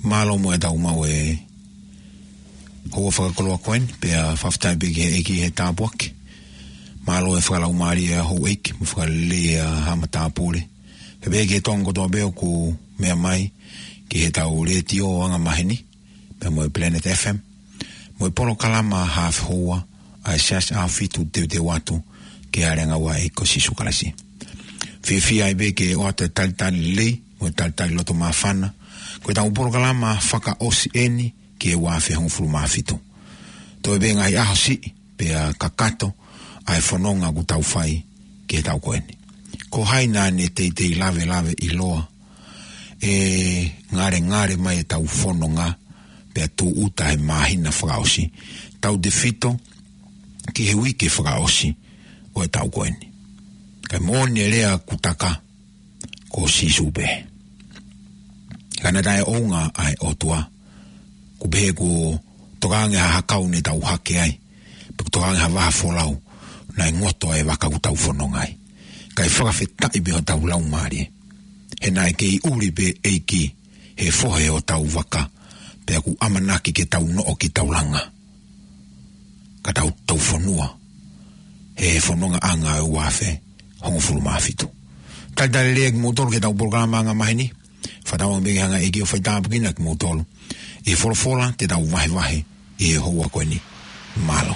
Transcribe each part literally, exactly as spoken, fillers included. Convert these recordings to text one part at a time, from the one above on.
Mālō muʻa e tau maʻu e houa fakakoloa ko eni, pea fakafetaʻi pē ki he ʻEiki he tāpuaki. Mālō e fakalaumālie ʻa houʻeiki, mo fakalelei ʻa e haʻa matāpule. Pea pehē ki he tonga kotoa pē ʻoku meʻa mai ki he tau letiō anga maheni, pea mo e Planet F M, mo e polokalama hafe houa ʻa e Siasi ʻAhofitu Teuteu Atu ki he Hāʻele ʻAngaua ʻa e ʻEiki ko Sīsū Kalaisi. Fiefia ai pē ke ʻoatu e talitali lelei, mo e talitali loto māfana. Ko e tau polokalama fakaʻosi eni ki he ua afe hongofulu mā fitu. Toe pē ngaahi ʻaho siʻi, pea kakato ʻa e fononga ʻoku tau fai ki he tau ko eni. Ko hai naʻa ne teitei lavelave ʻiloa ʻe ngalengale mai e tau fononga, pea tūʻuta he māhina fakaʻosi, tautefito ki he uike fakaʻosi ʻo e tau ko eni. Kae moʻoni e lea ʻoku taka, ko Sīsū pē. Ka naʻe taʻeʻounga ʻa e ʻOtua, ʻoku pehē kuo tokanga ha hakau ne tau hake ai, pe kuo tokanga ha vaha folau, naʻe ngoto ʻa e vaka ʻoku tau fononga ai. Kae fakafetaʻi pē hotau laumālie, he naʻe kei ʻuli pē ʻEiki he fohe hotau vaka, pea ʻoku ʻamanaki ke tau noʻo ki taulanga, ka tau tau fonua he fonongaʻanga ʻo e ua afe hongofulu mā fitu. Talitali lelei kimoutolu ki he tau polokalama anga maheni. Fakatauange pē ke hanga ʻe he ʻEiki ʻo faitāpuekina kimoutolu ʻi he folofola te tau vahevahe ʻi he houa ko eni. Mālō.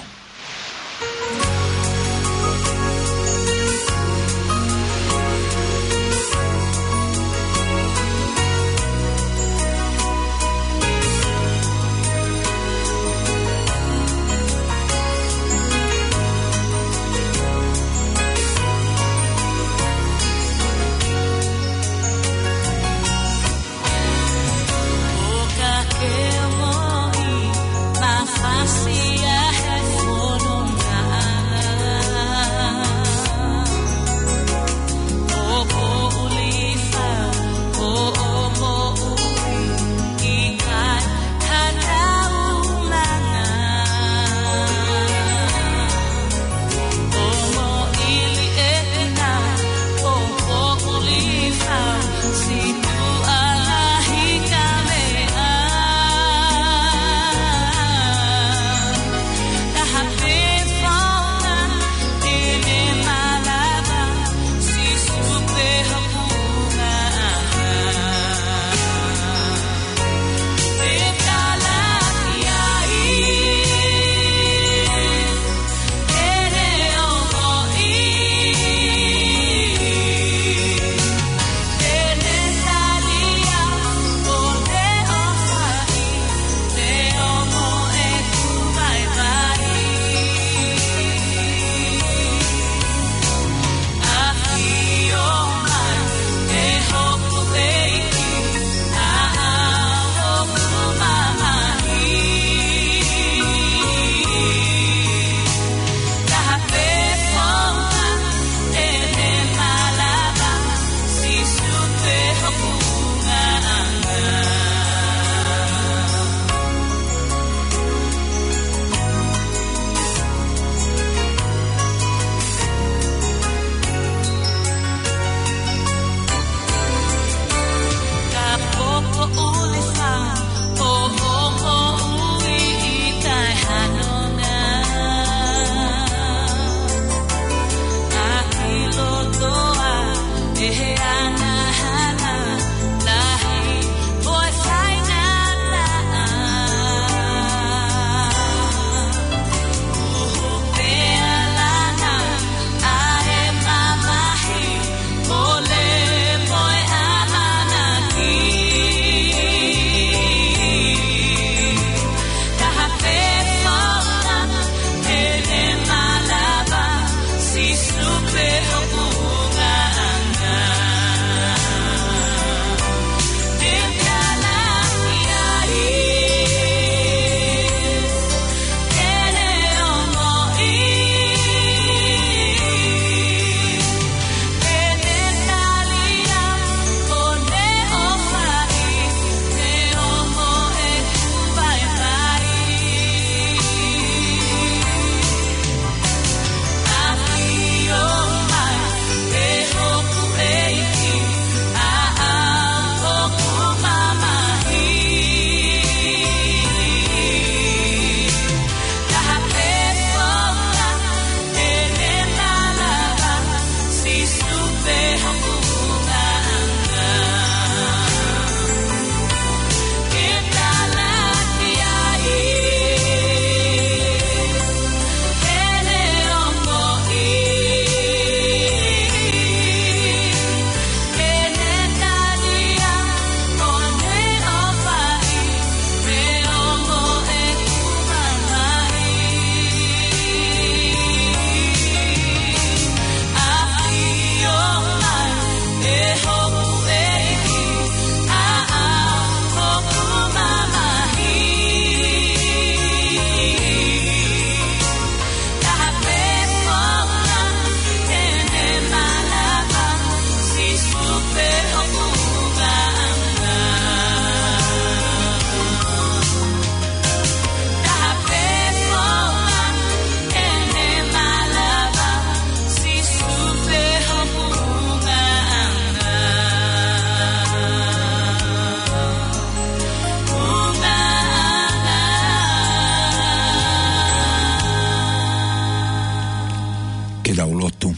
lotu.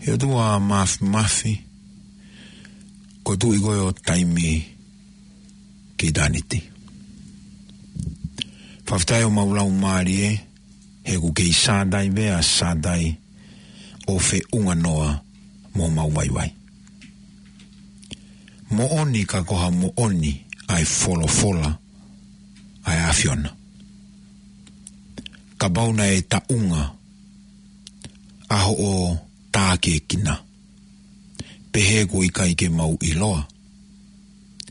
ʻE ʻOtua Māfimafi, ko e Tuʻi koe ʻo taimi ki ʻitāniti. Fakafetaʻi ʻo mau lau mālie, he ʻoku kei sātai pē ʻa sātai ʻo feʻunga noa mo mau vaivai. Moʻoni ka ko ha moʻoni ʻa e folofola ʻa e ʻAfiona. Kapau naʻe taʻunga ʻa hoʻo tākiekina, pehē kuo ʻikai ke mau ʻiloa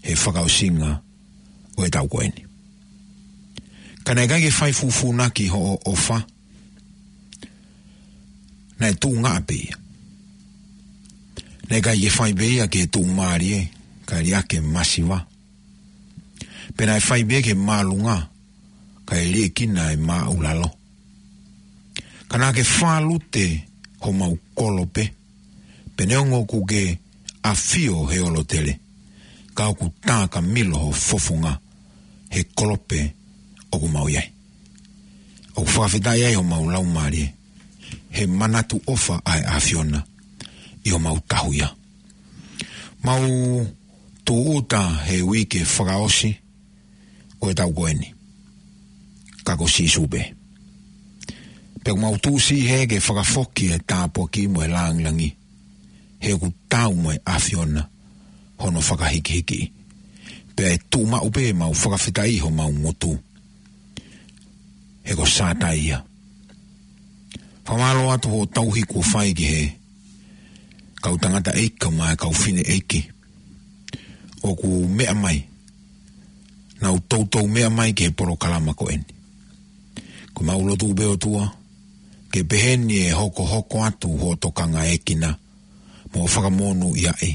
he fakaʻosinga ʻo e taʻu ko eni. Ka naʻe ʻikai ke fai fufūnaki hoʻo ʻofa, naʻe tuʻunga pē ia. Naʻe ʻikai ke fai pē ia ke tuʻumālie, kae liʻaki e masiva. Pea naʻe fai pē ke māʻolunga, kae liʻekina e māʻulalo. Ka naʻa ke fālute homau kolope, pea neongo ʻoku ke ʻafio he ʻolotele, ka ʻoku tā ka milo ho fofonga he kolope ʻoku mau ʻi ai. ʻOku fakafetaʻi ai homau lau mālie, he manatu ʻofa ʻa e ʻAfiona ʻi homau tahuʻia. Mau tūʻuta he uike fakaʻosi ʻo e taʻu ko eni, ka ko Sīsū pē. Pea ʻoku mau tuʻusi he ke fakafoki e tāpuaki mo e lāngilangi, he ʻoku taau mo e ʻAfiona hono fakahikihiki. Pea ʻe tuʻu maʻu pē mau fakafetaʻi homau ngutu, he ko Sātai ia. Fakamālō atu hoʻo tauhi kuo fai ki he kau tangataʻeiki mo e kau fineʻeiki ʻoku meʻa mai, nau toutou meʻa mai ki he polokalama ko eni. Ko mau lotu pē ʻOtua, ke pehē ni ʻe hokohoko atu hoʻo tokangaekina mo fakamonūʻiaʻi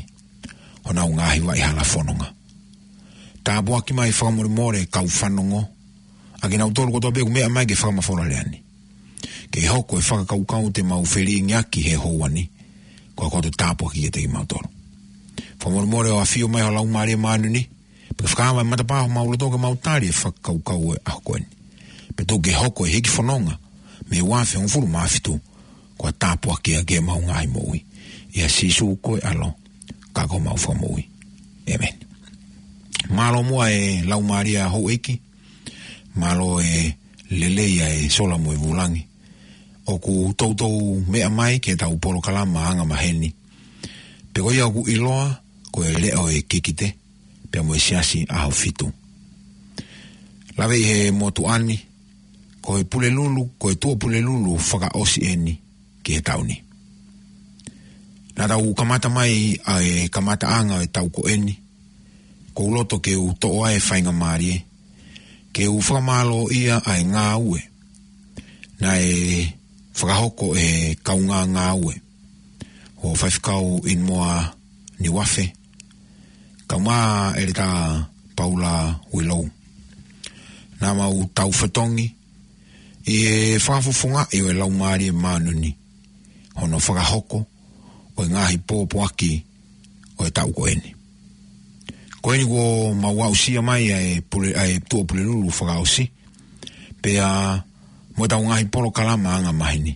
honau ngaahi vaʻe hala fononga. Tāpuaki mai fakamolemole kau fanongo, ʻa kinautolu kotoa pē ʻoku meʻa mai ke fakamafola lea ni. Ke hoko e fakakaukau te mau felingiaki he houa ni, ko e koto tāpuaki kiate kimautolu. Fakamolemole ʻo ʻafio mai ho Laumālie Māʻoniʻoni, pea ke fakaava e matapā homau loto ke mau tali e fakakaukau ʻo e ʻaho ko eni. Pea tuku ke hoko e hiki fononga mei he ua afe hongofulu mā fitu, ko e tāpuaki ia ki heʻemau ngaahi moʻui. ʻIa Sīsū ko e ʻAlo, ka ko homau Fakamoʻui. ʻĒmeni. Mālō muʻa e laumālie ʻa houʻeiki, mālō e lelei ʻa e sola mo e vulangi. ʻOku toutou meʻa mai ki heʻetau polokalama angamaheni. Pea ko ia ʻoku ʻiloa ko e Leʻo ʻo e Kikite, pea mo e Siasi ʻAhofitu. Lave ʻi he motuʻa ni, ko e Pulelulu, ko e Tuʻapulelulu fakaʻosi eni ki he taʻu ni. Naʻa tau kamata mai ʻa e kamataʻanga ʻo e taʻu ko eni, ʻoku ou loto ke u toʻo ʻa e faingamālie ke u fakamālōʻia ʻa e ngāue naʻe fakahoko ʻe he kaungā ngāue ʻo Faifekau ʻInomoa Niuafe, kae ʻumaʻā ʻEletā Paula Uilou. Naʻa mau tau fetongi ʻi he fakafofongaʻi ʻo e Laumālie Māʻoniʻoni hono fakahoko ʻo e ngaahi pōpoaki ʻo e taʻu ko eni. Ko eni kuo mau aʻusia mai ʻa e pule-, ʻa e Tuʻapulelulu fakaʻosi, pea mo ʻetau ngaahi polokalama angamaheni.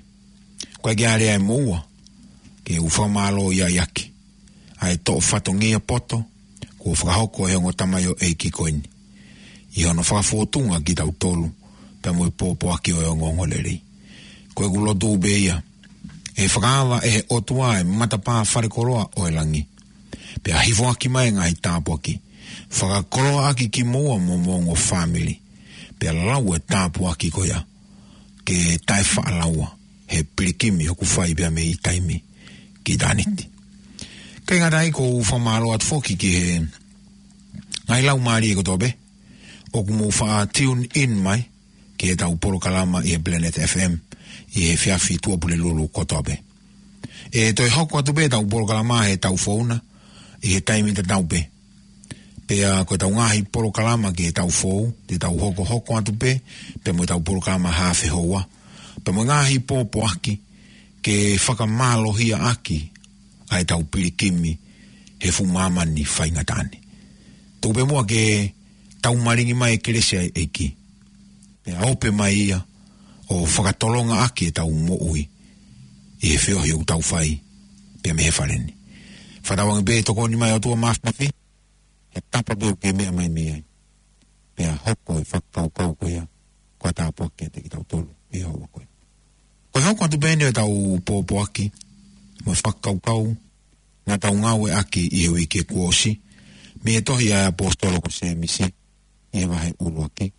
Ko e ke alea e moua, ke u fakamālōʻia ʻaki ʻa e toʻo fatongia poto kuo fakahoko ʻe he ongo tamaioʻeiki ko eni ʻi hono fakafōtunga kitautolu pea mo e pōpoaki ʻo e ongoongolelei. Ko ʻeku lotu pē ia, ʻe fakaava ʻe he ʻOtua e matapā falekoloa ʻo e langi, pea hifoaki mai e ngaahi tāpuaki, fakakoloaʻaki kimoua mo homou ongo fāmili, pea lau e tāpuaki ko ia ke taʻefaʻalaua he pilikimi ʻoku fai pea mei taimi ki ʻitāniti. Kae ngata ai, ʻoku ou fakamālō atu foki ki he ngaahi laumālie kotoa pē ʻoku mou faʻa tune in mai ki heʻetau polokalama ʻi he Planet F M ʻi he efiafi Tuʻapulelulu kotoa pē. ʻE toe hoko atu pē ʻetau polokalama he taʻu foʻou na ʻi he taimi tatau pē. Pea ko ʻetau ngaahi polokalama ki he taʻu foʻou, te tau hokohoko atu pē, pea mo ʻetau polokalama haafe houa, pea mo e ngaahi pōpoaki ke fakamālohiaʻaki ʻa ʻetau pilikimi he fuʻu māmani faingataʻa ni. Tuku pē muʻa ke tau malingi mai e kelesi ʻa e ʻEiki, pea ope mai ia ʻo fakatolongaʻaki ʻetau moʻui ʻi he feohi ʻoku tau fai pea mei he fale ni. Fakatauange pē ʻe tokoni mai ʻOtua Māfimafi he tapa pē ʻoku ke meʻa mai mei ai, pea hoko e fakakaukau ko ia ko ha tāpuaki kiate kitautolu ʻi he houa ko eni. Ko e hoko atu pē eni ʻetau pōpoaki mo e fakakaukau naʻa tau ngāueʻaki ʻi he uike kuo ʻosi mei he tohi ʻa e ʻaposetolo ko Sēmisi, ʻi he vahe ʻuluaki,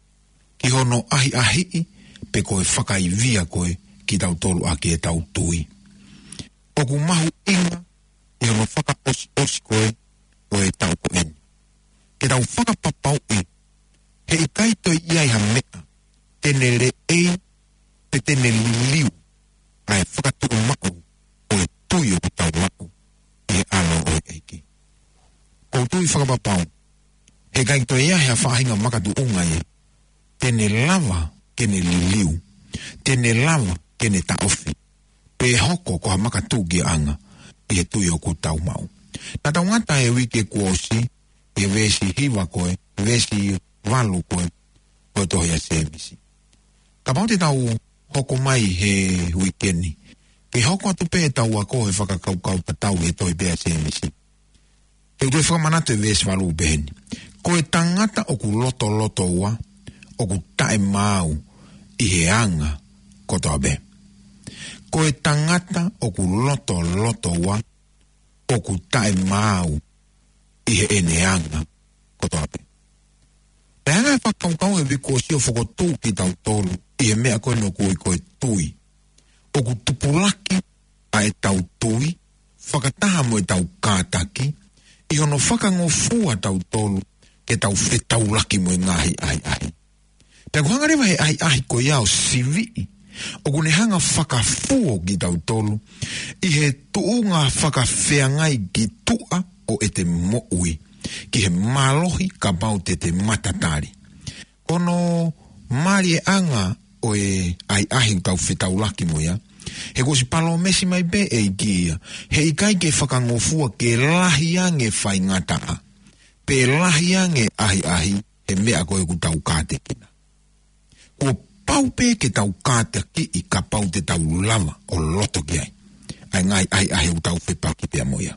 ki hono ʻahiʻahiʻi pe ko e fakaivia ko ē kitautolu ʻaki ʻetau tui. ʻOku mahuʻinga ʻi hono fakaʻosiʻosi ko ē ʻo e taʻu ko eni ke tau fakapapauʻi he ʻikai toe ʻi ai ha meʻa te ne leʻei pe te ne liliu ʻa e fakatuʻumaʻu ʻo e tui ʻoku tau maʻu ʻi he ʻAlo ʻo e ʻEiki. ʻOku ou tui fakapapau he ʻikai toe ʻi ai ha faʻahinga makatuʻunga ia te ne lava ke ne liliu, te ne lava ke ne taʻofi, pe hoko ko ha makatuʻunga ʻi he tui ʻoku tau maʻu. Naʻa tau ngata he uike kuo ʻosi ʻi he veesi hiva ko ē, veesi valu ko ē, ko e tohi ʻa Sēmisi. Kapau te tau hoko mai he uike ni ke hoko atu pē ʻetau ako he fakakaukau tatau he tohi pē ʻa Sēmisi, te u toe fakamanatu e veesi valu peheni: Ko e tangata ʻoku lotolotoua ʻoku taʻemaau ʻi he anga kotoa pē. Ko e tangata ʻoku lotolotoua ʻoku taʻemaau ʻi heʻene anga kotoa pē. Pea hanga ʻe he fakakaukau he uike kuo ʻosi ʻo fokotuʻu kitautolu ʻi he meʻa ko eni ʻoku ui ko e tui. ʻOku tupulaki ʻa ʻetau tui fakataha mo ʻetau kātaki ʻi hono fakangofua tautolu ke tau fetaulaki mo e ngaahi ʻahiʻahi. Pea ʻoku hanga leva he ʻahiʻahi ko ia ʻo siviʻi, ʻoku ne hanga fakafuo kitautolu ʻi he tuʻunga fakafeangai ki tuʻa ʻo ʻete moʻui, ki he mālohi kapau te te matatali. Ko hono mālie ʻanga ʻo e ʻahiʻahi ʻoku tau fetaulaki mo ia, he kuo ʻosi palōmesi mai pē ʻe he ʻEiki ia, he ʻikai ke fakangofua ke lahi ange faingataʻa pe lahi ange ʻahiʻahi he meʻa ko ē ʻoku tau kātekina. Kuo pau pē ke tau kātakiʻi kapau te tau lava ʻo loto ki ai ʻa e ngaahi ʻahiʻahi ʻoku tau fepaki pea mo ia.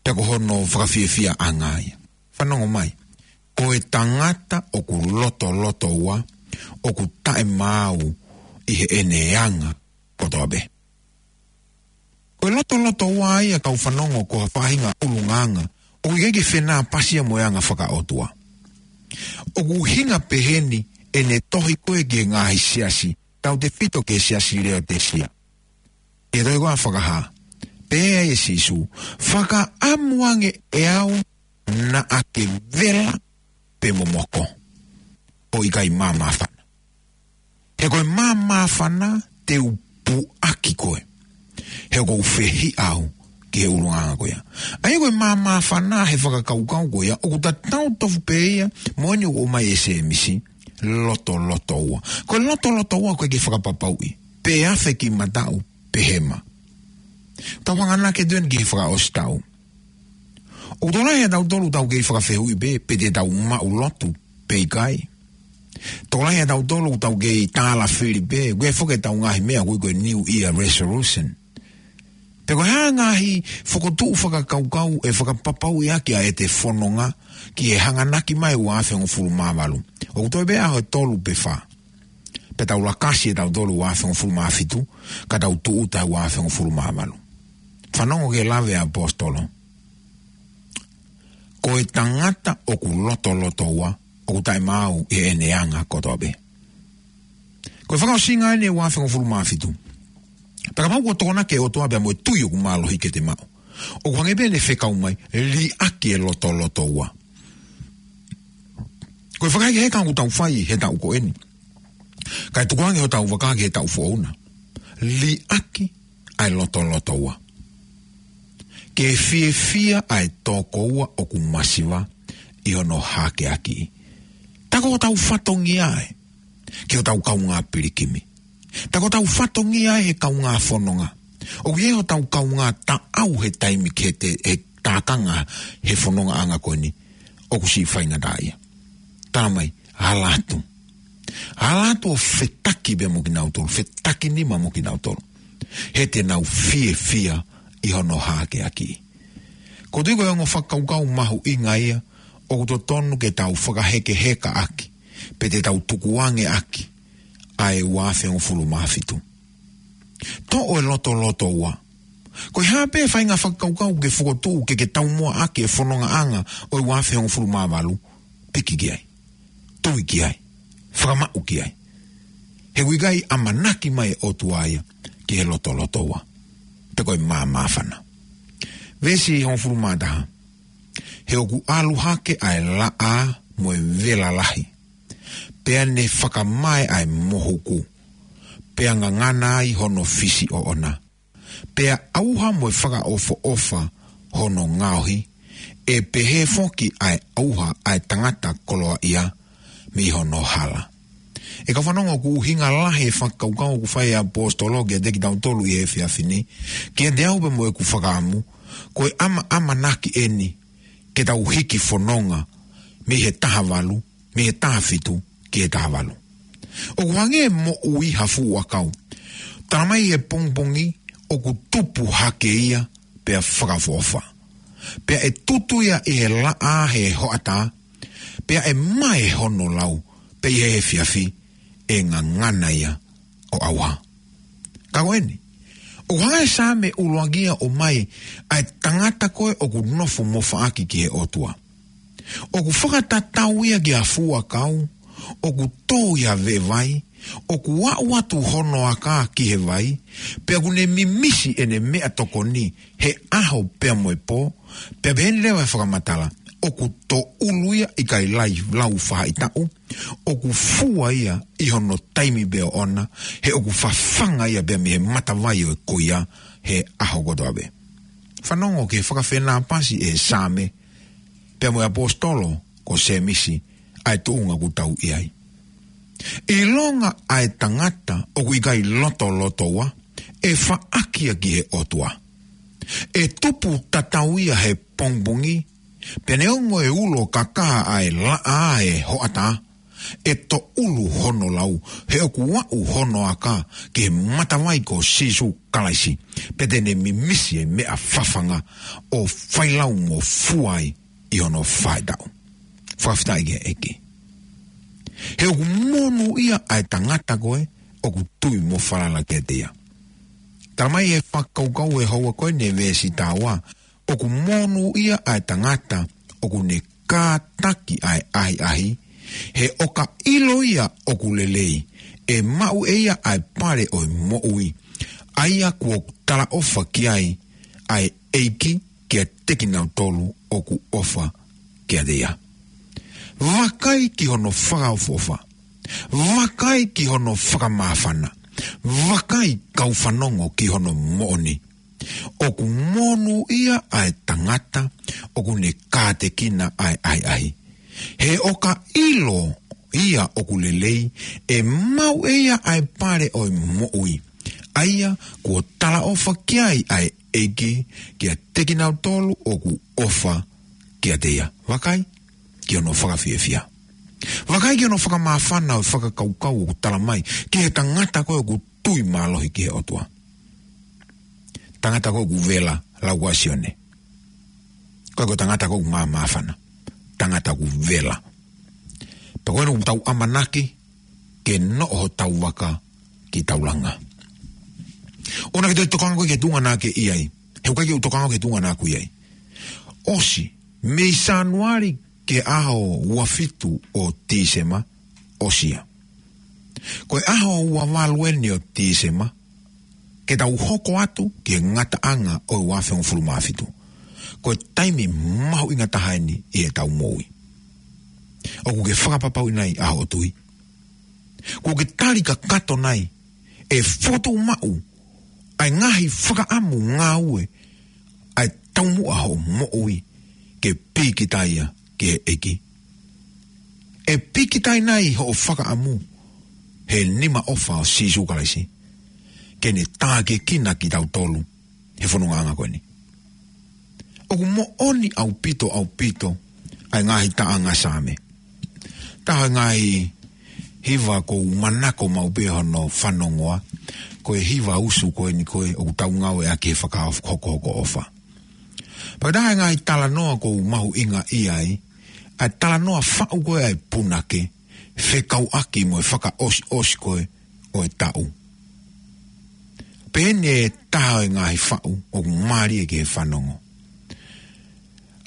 Pea ko hono fakafiefiaʻanga ia. Fanongo mai. Ko e tangata ʻoku lotolotoua ʻoku taʻemaau ʻi heʻene anga kotoa pē. Ko e lotolotoua ia, kau fanongo, ko ha faʻahinga ʻulungaanga ʻoku ʻikai ke fenāpasi ia mo e anga fakaʻotua. ʻOku ʻuhinga peheni ʻene tohi ko ē ki he ngaahi siasi, tautefito ki he siasi Leotisia. ʻI he tohi ko ia Fakahā, pehē ʻe Sīsū: Fakaʻamu ange ʻe au naʻa ke vela pea momoko, ʻo ʻikai māmāfana. He ko e māmāfana te u puʻaki koe, he ʻoku ou fehiʻa au ki he ʻulungaanga ko ia. ʻA ia ko e māmāfana he fakakaukau ko ia ʻoku tatau tofu pē ia mo eni ʻoku ʻomai ʻe Sēmisi, lotolotoua. Ko e lotolotoua ʻoku ʻikai ke fakapapauʻi pe afe ki mataʻu pe hema. Tau hanganaki atu eni ki he fakaʻosi taʻu. ʻOku tokolahi ʻa tautolu tau kei fakafehuʻi pē pe te tau maʻu lotu pe ʻikai. Tokolahi ʻa tautolu tau kei tālafili pē, ʻoku ʻi ai foki ʻetau ngaahi meʻa ʻoku ui ko e New Year Resolution. Pe ko e hā e ngaahi fokotuʻu fakakaukau ʻe fakapapauʻi ʻaki ʻa ʻete fononga ki he hanganaki mai ua afe hongofulu mā valu. ʻOku toe pē ʻaho ʻe tolu pe fā, pea tau lakasi ʻe tautolu ua afe hongofulu mā fitu, ka tau tūʻuta he ua afe hongofulu mā valu. Fanongo ki he lave ʻa e ʻaposetolo: Ko e tangata ʻoku lotolotoua ʻoku taʻemaau ʻi heʻene anga kotoa pē. Ko e fakaʻosinga eni ʻo e ua afe hongofulu mā fitu. Pea kapau kuo tokonaki e ʻOtua pea mo e tui ʻoku mālohi ke te maʻu, ʻoku hangē pē ʻene fekau mai, liʻaki e lotolotoua. Ko e fakahekeheka ʻoku tau fai he taʻu ko eni, kae tukuange hotau vaka ki he taʻu foʻou na. Liʻaki ʻa e lotolotoua. Ke fiefia ʻa e tōkoua ʻoku masiva ʻi hono hākeakiʻi. Tā ko hotau fatongia ē ki hotau kaungā pilikimi. Tā ko hotau fatongia ē he kaungā fononga. ʻOku ʻi ai hotau kaungā taʻau he taimi ki he te-, he tākanga he fonongaʻanga ko eni ʻoku siʻi faingataʻaʻia. Tala mai, ala atu. Ala atu ʻo fetaki pea mo kinautolu, fetaki nima mo kinautolu. He te nau fiefia ʻi hono hākeakiʻi. Ko e tui ko e ongo fakakaukau mahuʻinga ia ʻoku totonu ke tau fakahekehekaʻaki, pe te tau tukuange ʻaki ʻa e ua afe hongofulu mā fitu. Toʻo e lotolotoua. Ko e hā pē faʻahinga fakakaukau ke fokotuʻu ke ke taumuʻa ʻaki e fonongaʻanga ʻo e ua afe hongofulu mā valu, piki ki ai. Tui ki ai. Fakamaʻu ki ai. He ʻoku ʻikai ʻamanaki mai e ʻOtua ia ki he lotolotoua. Pe ko e māmāfana. Veesi hongofulu mā taha. He ʻoku ʻalu hake ʻa e laʻā mo e vela lahi. Pea ne fakamae ʻa e mohuku. Pea ngangana ai hono fisi ʻoʻona. Pea ʻauha mo e fakaʻofoʻofa hono ngaohi, ʻe pehē foki ʻa e ʻauha ʻa e tangata koloaʻia mei hono hala. ʻE kau fanongo, ʻoku ʻuhinga lahi e fakakaukau ʻoku fai ʻe he ʻaposetolo kiate kitautolu ʻi he efiafi ni, kiate au pea mo ʻeku fakaʻamu, ko e ʻama, ʻamanaki eni ke tau hiki fononga mei he taha valu, mei he taha fitu ki he taha valu. ʻOku hangē e moʻui ha fuʻu ʻakau. Tala mai he pongipongi ʻoku tupu hake ia pea fakaʻofoʻofa. Pea ʻe tutu ia ʻi he laʻā he hoʻatā, pea ʻe mae hono lau, pea ʻi he efiafi ʻe ngangana ia ʻo ʻauha. Ka ko eni, ʻoku hanga ʻe he Saame ʻuluaki ia ʻo ʻomai ʻa e tangata ko ē ʻoku nofo mofaʻaki ki he ʻOtua. ʻOku fakatatau ia ki ha fuʻu ʻakau ʻoku tō ʻi ha veʻe vai, ʻoku aʻu atu hono aka ki he vai, pea ʻoku ne mimisi ʻene meʻatokoni he ʻaho pea mo e pō, pea pehē ni leva e fakamatala, ʻoku tōʻulu ia ʻikai lau faʻahitaʻu, ʻoku fua ia ʻi hono taimi pē ʻoʻona, he ʻoku fafanga ia pea mei he matavai ʻo e kuia he ʻaho kotoa pē. Fanongo ki he fakafenāpasi ʻe he Saame pea mo e ʻaposetolo ko Sēmisi ʻa e tuʻunga ʻoku tau ʻi ai. ʻIlonga ʻa e tangata ʻoku ʻikai lotolotoua, ʻe faʻaki ia ki he ʻOtua. ʻE tupu tatau ia he pongipongi, pea neongo e ulo kakaha ʻa e laʻā he hoʻatā, ʻe tōʻulu hono lau, he ʻoku aʻu hono aka ki he matavai ko Sīsū Kalaisi, pea te ne mimisi e meʻa fafanga ʻo fai lau mo fua ai ʻi hono faʻahitaʻu. Fakafetaʻi ki he ʻEiki. He ʻoku monūʻia ʻa e tangata ko ē ʻoku tui mo falala kiate ia. Tala mai he fakakaukau ʻe houa ko eni he veesi taha ua, ʻoku monūʻia ʻa e tangata ʻoku ne kātaki ʻa e ʻahiʻahi, he ʻo ka ʻilo ia ʻoku lelei, ʻe maʻu ʻe ia ʻa e pale ʻo e moʻui, ʻa ia kuo talaʻofa ki ai ʻa e ʻEiki kiate kinautolu ʻoku ʻofa kiate ia. Vakai ki hono fakaʻofoʻofa. Vakai ki hono fakamāfana. Vakai, kau fanongo, ki hono moʻoni. ʻOku monūʻia ʻa e tangata ʻoku ne kātekina ʻa e ʻahiʻahi. He ʻo ka ʻilo ia ʻoku lelei, ʻe maʻu ʻe ia ʻa e pale ʻo e moʻui, ʻa ia kuo talaʻofa ki ai ʻa e ʻEiki kiate kinautolu ʻoku ʻofa kiate ia. Vakai ki hono fakafiefia. Vakai ki hono fakamāfana ʻo e fakakaukau ʻoku tala mai ki he tangata ko ē ʻoku tui mālohi ki he ʻOtua. Tangata ko ē ʻoku vela, lau ʻa Sione. Ko e ko e tangata ko ē ʻoku māmāfana. Tangata ʻoku vela. Pea ko ē ʻoku tau ʻamanaki ke noʻo hotau vaka ki taulanga. ʻOua naʻa ke toe tokanga koe ki he tuʻunga naʻa ke ʻi ai. He ʻoku ʻikai ke u tokanga ki he tuʻunga naʻa ku ʻi ai. ʻOsi, mei Sānuali ki he ʻaho ua fitu ʻo Tīsema, ʻosi ia. Ko e ʻaho ua valu eni ʻo Tīsema, ke tau hoko atu ki he ngataʻanga ʻo e ua afe hongofulu mā fitu. Ko e taimi mahuʻinga taha eni ʻi heʻetau moʻui. ʻOku ke fakapapauʻi nai ʻa hoʻo tui? Kuo ke tali kakato nai ʻe fokotuʻu maʻu ʻa e ngaahi fakaʻamu ngāue ʻa e taumuʻa hoʻo moʻui ke pīkitai ia ki he ʻEiki? ʻE pīkitai nai hoʻo fakaʻamu he nima ʻofa ʻo Sīsū Kalaisi ke ne tākiekina kitautolu he fonongaʻanga ko eni? ʻOku moʻoni ʻaupito, ʻaupito ʻa e ngaahi taʻanga Saame. Taha e ngaahi hiva ʻoku ou manako maʻu pē hono fanongoa, ko e hiva usu ko eni ko ē ʻoku tau ngāueʻaki he fakahokohoko ʻofa. Pea ko e taha e ngaahi talanoa ʻoku ou mahuʻingaʻia ai, ʻa e talanoa faʻu ko ē ʻa e punake, fekauʻaki mo e fakaʻosiʻosi ko ē ʻo e taʻu. Pea eni e taha e ngaahi faʻu ʻoku mālie ki he fanongo.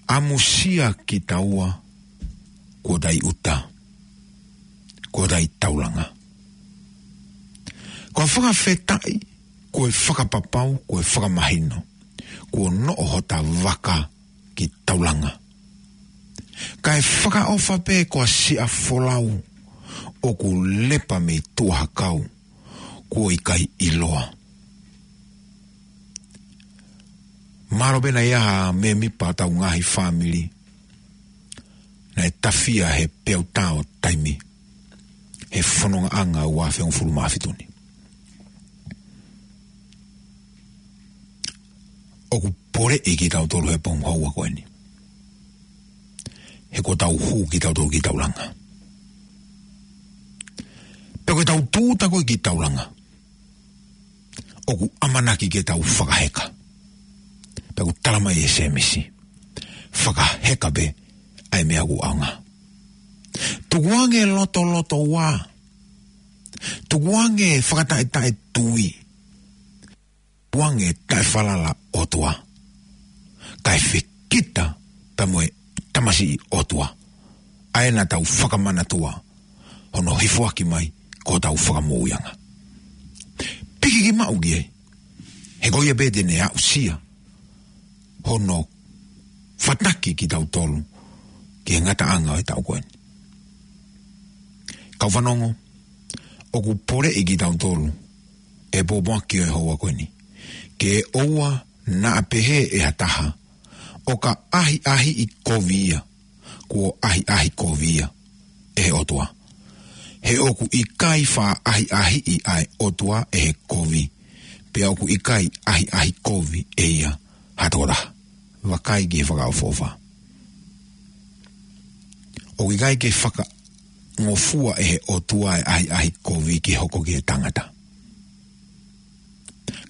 ʻAmusia kitaua kuo tai ʻuta, kuo tai taulanga. Ko e fakafetaʻi, ko e fakapapau, ko e fakamahino, kuo noʻo hota vaka ki taulanga. Kae fakaʻofa pē ko e siʻa folau ʻoku lepa mei tuʻa hakau, kuo ʻikai ʻiloa. Mālō pē naʻe ʻi ai ha mēmipa ʻo hotau ngaahi fāmili naʻe tafia he peau tā ʻo taimi he fonongaʻanga ʻo e ua afe hongofulu mā fitu ni. ʻOku poleʻi kitautolu he pongipongi houa ko eni, he kuo tau hū kitautolu ki taulanga. Pea ko ʻetau tūʻuta ko ē ki taulanga, ʻoku ʻamanaki ke tau fakaheka. Pea ʻoku tala mai ʻe Sēmisi, fakaheka pē ʻa e meʻa ʻoku ʻaonga. Tukuange lotolotoua, tukuange fakataʻetaʻetui, tukuange taʻefalala ʻOtua, kae fekita pea mo e tamasiʻi ʻOtua, ʻa ē naʻa tau fakamanatua hono hifoaki mai ko hotau fakamoʻuiʻanga. Piki ki maʻu ki ai, he ko ia pē te ne aʻusia hono fataki kitautolu ki he ngataʻanga ʻo e taʻu ko eni. Kau fanongo, ʻoku poleʻi kitautolu ʻe he pōpoaki ʻo e houa ko eni, ke ʻoua naʻa pehē ʻe ha taha, ʻo ka ʻahiʻahiʻi kovi ia, kuo ʻahiʻahi kovi ia ʻe he ʻOtua. He ʻoku ʻikai faʻa ʻahiʻahiʻi ʻa e ʻOtua ʻe he kovi, pea ʻoku ʻikai ʻahiʻahi kovi ʻe ia ha tokotaha. Vakai ki he fakaʻofoʻofa. ʻOku ʻikai ke fakangofua ʻe he ʻOtua e ʻahiʻahi kovi ke hoko ki he tangata.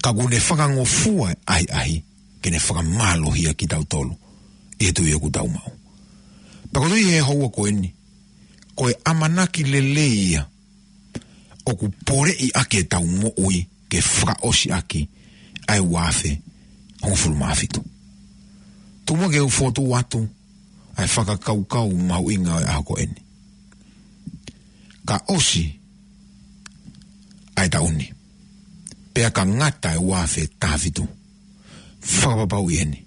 Ka ʻoku ne fakangofua e ʻahiʻahi ke ne fakamālohia kitautolu ʻi he tui ʻoku tau maʻu. Pea ko e tui he houa ko eni, ko e ʻamanaki lelei ia ʻoku poleʻi ʻaki ʻetau moʻui ke fakaʻosi ʻaki ʻa e ua afe hongofulu mā fitu. Tuku muʻa ke u fokotuʻu atu ʻa e fakakaukau mahuʻinga ʻo e ʻaho ko eni. Ka ʻosi ʻa e taʻu ni, pea ka ngata e ua afe taha fitu, fakapapauʻi eni,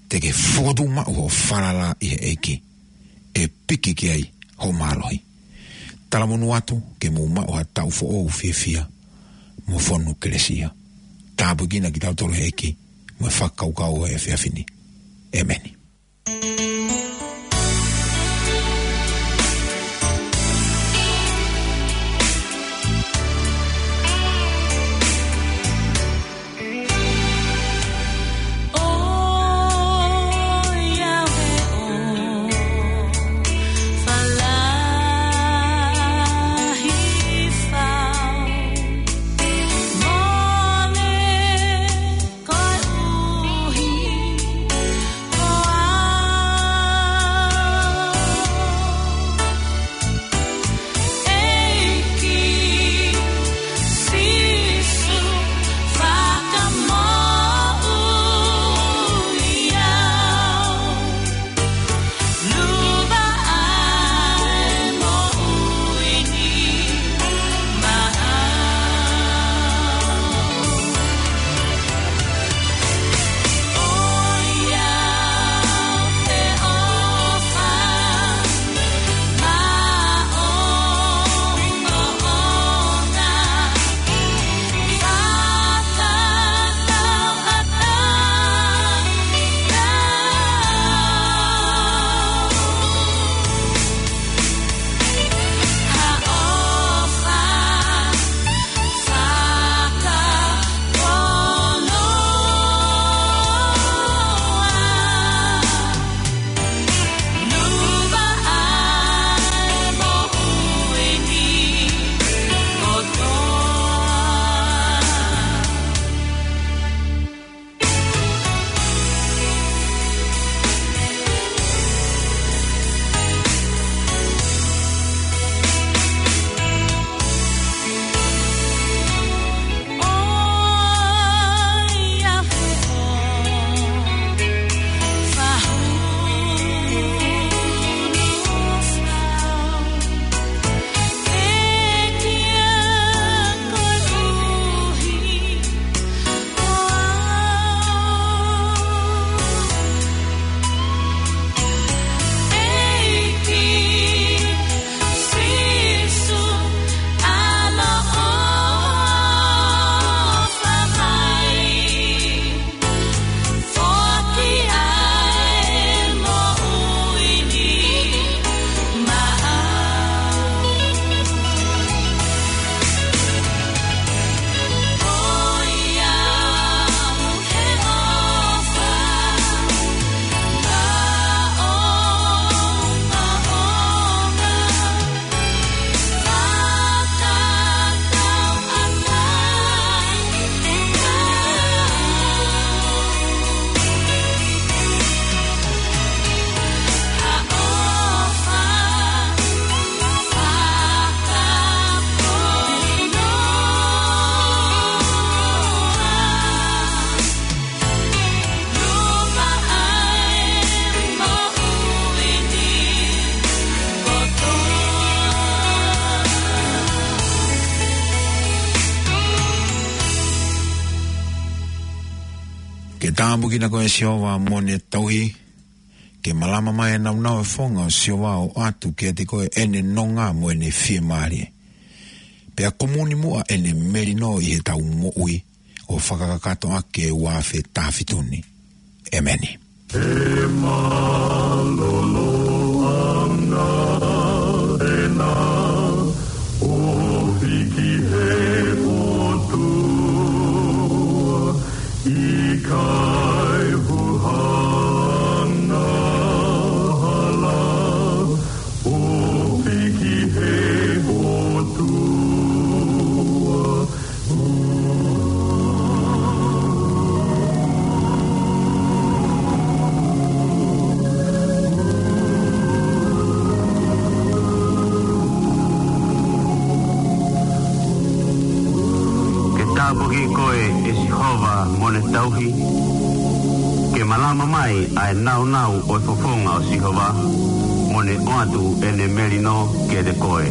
te ke fokotuʻu maʻu hoʻo falala ʻi he ʻEiki, ʻe piki ki ai hoʻo mālohi. Talamonū atu ke mou maʻu ha taʻu foʻou fiefia mo fonu kelesi ia. Tāpuekina kitautolu ʻe he ʻEiki mo e fakakaukau ʻo e efiafi ni. ʻEmeni. Ke tāpuekina koe ʻe Sihova mo ʻene tauhi, ke malama mai ʻa e nāunau ʻo e fofonga ʻo Sihova ʻo ʻoatu kiate koe ʻene nonga mo ʻene fiemālie. Pea kumuni muʻa ʻene melino ʻi heʻetau moʻui, ʻo fakakakato ʻaki e ua afe taha fitu ni. ʻEmeni. He mālōlō ʻa e ʻOtua, ʻo hiki he ʻOtua, ʻikai huhanga hala, ʻo hiki he ʻOtua. Ke tāpuekina koe ʻe Sihova mo ʻene tauhi, ke malama mai ʻa e nāunau ʻo e fofonga ʻo Sihova, mo ʻene ʻoatu ʻene melino kiate koe.